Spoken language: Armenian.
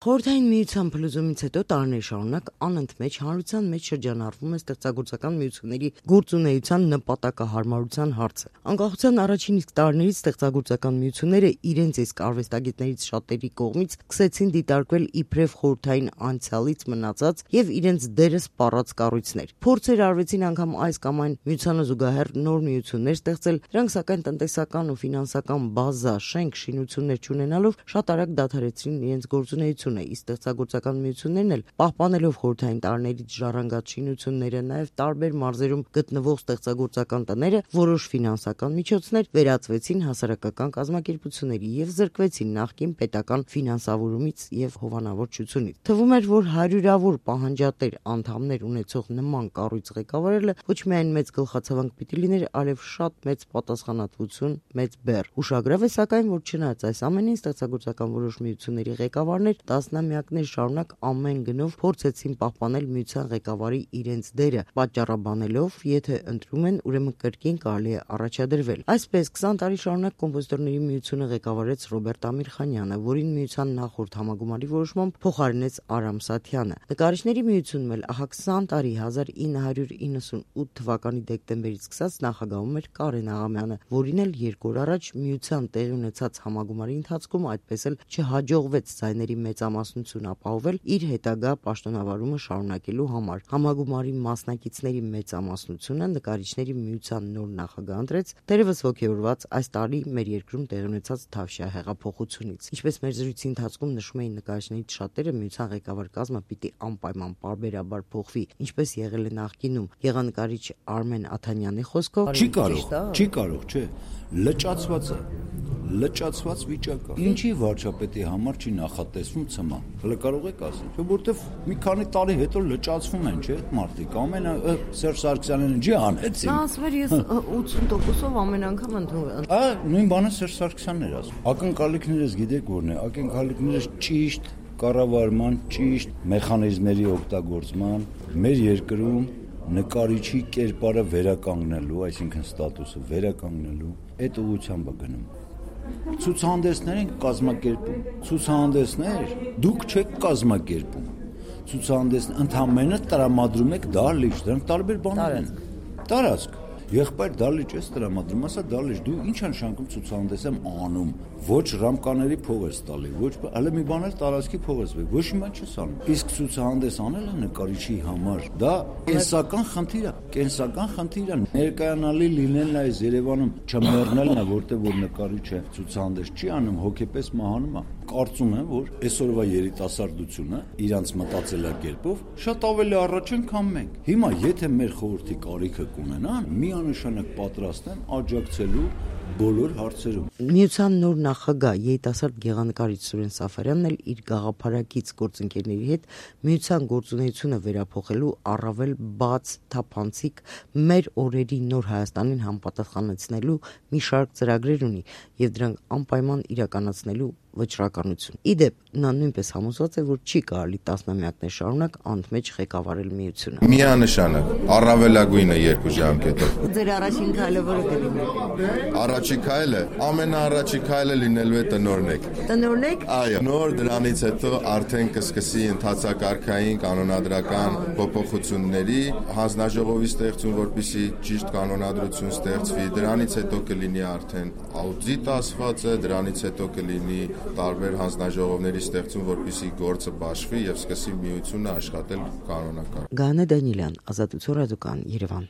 Խորհրդային միության փլուզումից հետո տարիներ շարունակ անընդմեջ հանրության մեջ շրջանառվում է ստեղծագործական միությունների գործունեության նպատակահարմարության հարցը։ Անկախության առաջին իսկ տարիներից ստեղծագործական միությունները իրենց իսկ արվեստագետներից շատերի կողմից սկսեցին դիտարկվել իբրև խորհրդային անցյալից մնացած եւ իրենց դերը սպառած կառույցներ։ Փորձեր արվեցին անգամ այս կամ այն միությանը զուգահեռ նոր միություններ ստեղծել, դրանք սակայն տնտեսական ու ֆինանսական բազա, շենք, շինություններ չունենալով շատ արագ դադարեցրին իրենց գործունեությունը։ Իսկ ստեղծագործական միություններն էլ պահպանելով խորհրդային տարիներից ժառանգած շինությունները, նաև տարբեր մարզերում գտնվող ստեղծագործական տները, որոշ ֆինանսական միջոցներ վերածվեցին հասարակական կազմակերպությունների եւ զրկվեցին նախկին պետական ֆինանսավորումից եւ հովանավորչությունից։ Թվում էր, որ հարյուրավոր պահանջատեր անդամներ ունեցող նման կառույց ղեկավարելը ոչ միայն մեծ գլխացավանք պիտի լիներ, այլև շատ մեծ պատասխանատվություն, մեծ բեռ։ Ուշագրավ է սակայն, որ չնայած այս ամենին ստեղծագործական որոշ միությունների ղեկավարներ տասնամյակներ շարունակ ամեն գնով փորձեցին պահպանել միության ղեկավարի իրենց դերը, պատճառաբանելով, եթե ընտրում են, ուրեմն կրկին կարելի է առաջադրվել։ Այսպես 20 տարի շարունակ կոմպոզիտորների միությունը ղեկավարեց Ռոբերտ Ամիրխանյանը, որին միության նախորդ համագումարի որոշմամբ փոխարինեց Արամ Սաթյանը։ Նկարիչների միությունում էլ ահա 20 տարի 1998 թվականի դեկտեմբերից սկսած նախագահում էր Կարեն Աղամյանը, որին էլ 2 օր առաջ միության տեղի ունեցած համագումարի ընթացքում այդպես էլ չհաջողվեց ձայների մեծամասնություն ապահովել իր հետագա պաշտոնավարումը շարունակելու համար։ Համագումարի մասնակիցների մեծամասնությունը նկարիչների միության նոր նախագահ ընտրեց, դերևս ոգևորված այս տարի մեր երկրում տեղի ունեցած Թավշյա հեղափոխությունից։ Ինչպես մեր զրույցի ընթացքում նշում էին նկարիչներից շատերը, միության ղեկավար կազմը պիտի անպայման պարբերաբար փոխվի, ինչպես եղել է նախկինում։ Եղանկարիչ Արմեն Աթանյանի խոսքով չի կարող, չէ, լճացված վիճակ է։ Ինչի վարչապետի համար չի նախատեսվում ցմա։ Հələ կարող եք ասել, չէ, որտեվ մի քանի տարի հետո լճացվում են, չէ, մարդիկ։ Ամենը Սերժ Սարգսյանն ջի անեցին։ Նա ասում էր, ես 80%-ով ամեն անգամ ընդունում։ Նույն բանը Սերժ Սարգսյանն էր ասում։ Ակնկալիքներս գիտեք որն է, ակնկալիքներս ճիշտ կառավարման, ճիշտ մեխանիզմների օգտագործման, մեր երկրում նկարիչի կերպարը վերականգնելու, այսինքն ստատուսը վերականգնելու, այդ ուղղությամբ է գնում։ Ցուցահանդեսներ են կազմակերպում, ցուցահանդեսներ դուք չեք կազմակերպում, ցուցահանդեսն ընդամենը տրամադրում եք դահլիճ, դրանք տարբեր բաներ են։ Տարածք, եղբայր դահլիճ ես տրամադրում, ասա դահլիճ, դու ինչ ես նշանակում ցուցահանդես եմ անում, ոչ ռամկաների փող ես տալի, ոչ, հələ մի բան էլ տարածքի փող ես վեր, ոչ մի բան չես անում։ Իսկ ցուցահանդես անելը նկարիչի համար դա կենսական խնդիր է, ներկայանալի լինելն է այս Երևանում, չմեռնելն է, որտեղ որ նկարիչը ցուցահանդես չի անում, հոգեպես մահանում է։ Կարծում եմ, որ այսօրվա երիտասարդությունը իրանց մտածելակերպով շատ ավելի առաջ են, քան մենք։ Հիմա եթե մեր խորհրդի կարիքը կունենան, միանշանակ պատրաստ են աջակցելու բոլոր հարցերում։ Միության նոր նախագահ երիտասարդ գեղանկարիչ Սուրեն Սաֆարյանն էլ իր գաղափարակից գործընկերների հետ միության գործունեությունը վերափոխելու առավել բաց, թափանցիկ մեր օրերի նոր Հայաստանին համապատասխանեցնելու մի շարք ծրագրեր ունի եւ դրանք անպայման իրականացնելու վճռականություն։ Իդեպ նա նույնպես համոզված է, որ չի կարելի տասնամյակներ շարունակ անընդմեջ ղեկավարել միությունը։ Միանշանակ առավելագույնը 2 ժամկետով։ Ձեր առաջին քայլը որը կլինի։ Առաջին քայլը, ամենաառաջի քայլը լինելու է տնօրնեք։ Տնօրնեք։ Այո, նոր դրանից հետո արդեն կսկսի ընթացակարգային կանոնադրական փոփոխությունների հանձնաժողովի ստեղծում, որպեսզի ճիշտ կանոնադրություն ստեղծվի, դրանից հետո կլինի արդեն աուդիտ ասվածը, դրանից հետո կլինի տարբեր հանձնաժողովների ստեղծում, որպեսզի գործը բաշխվի եւ սկսի միությունը աշխատել կանոնակարգ։ Գանե Դանիելյան, Ազատություն ռադիոկան, Երևան։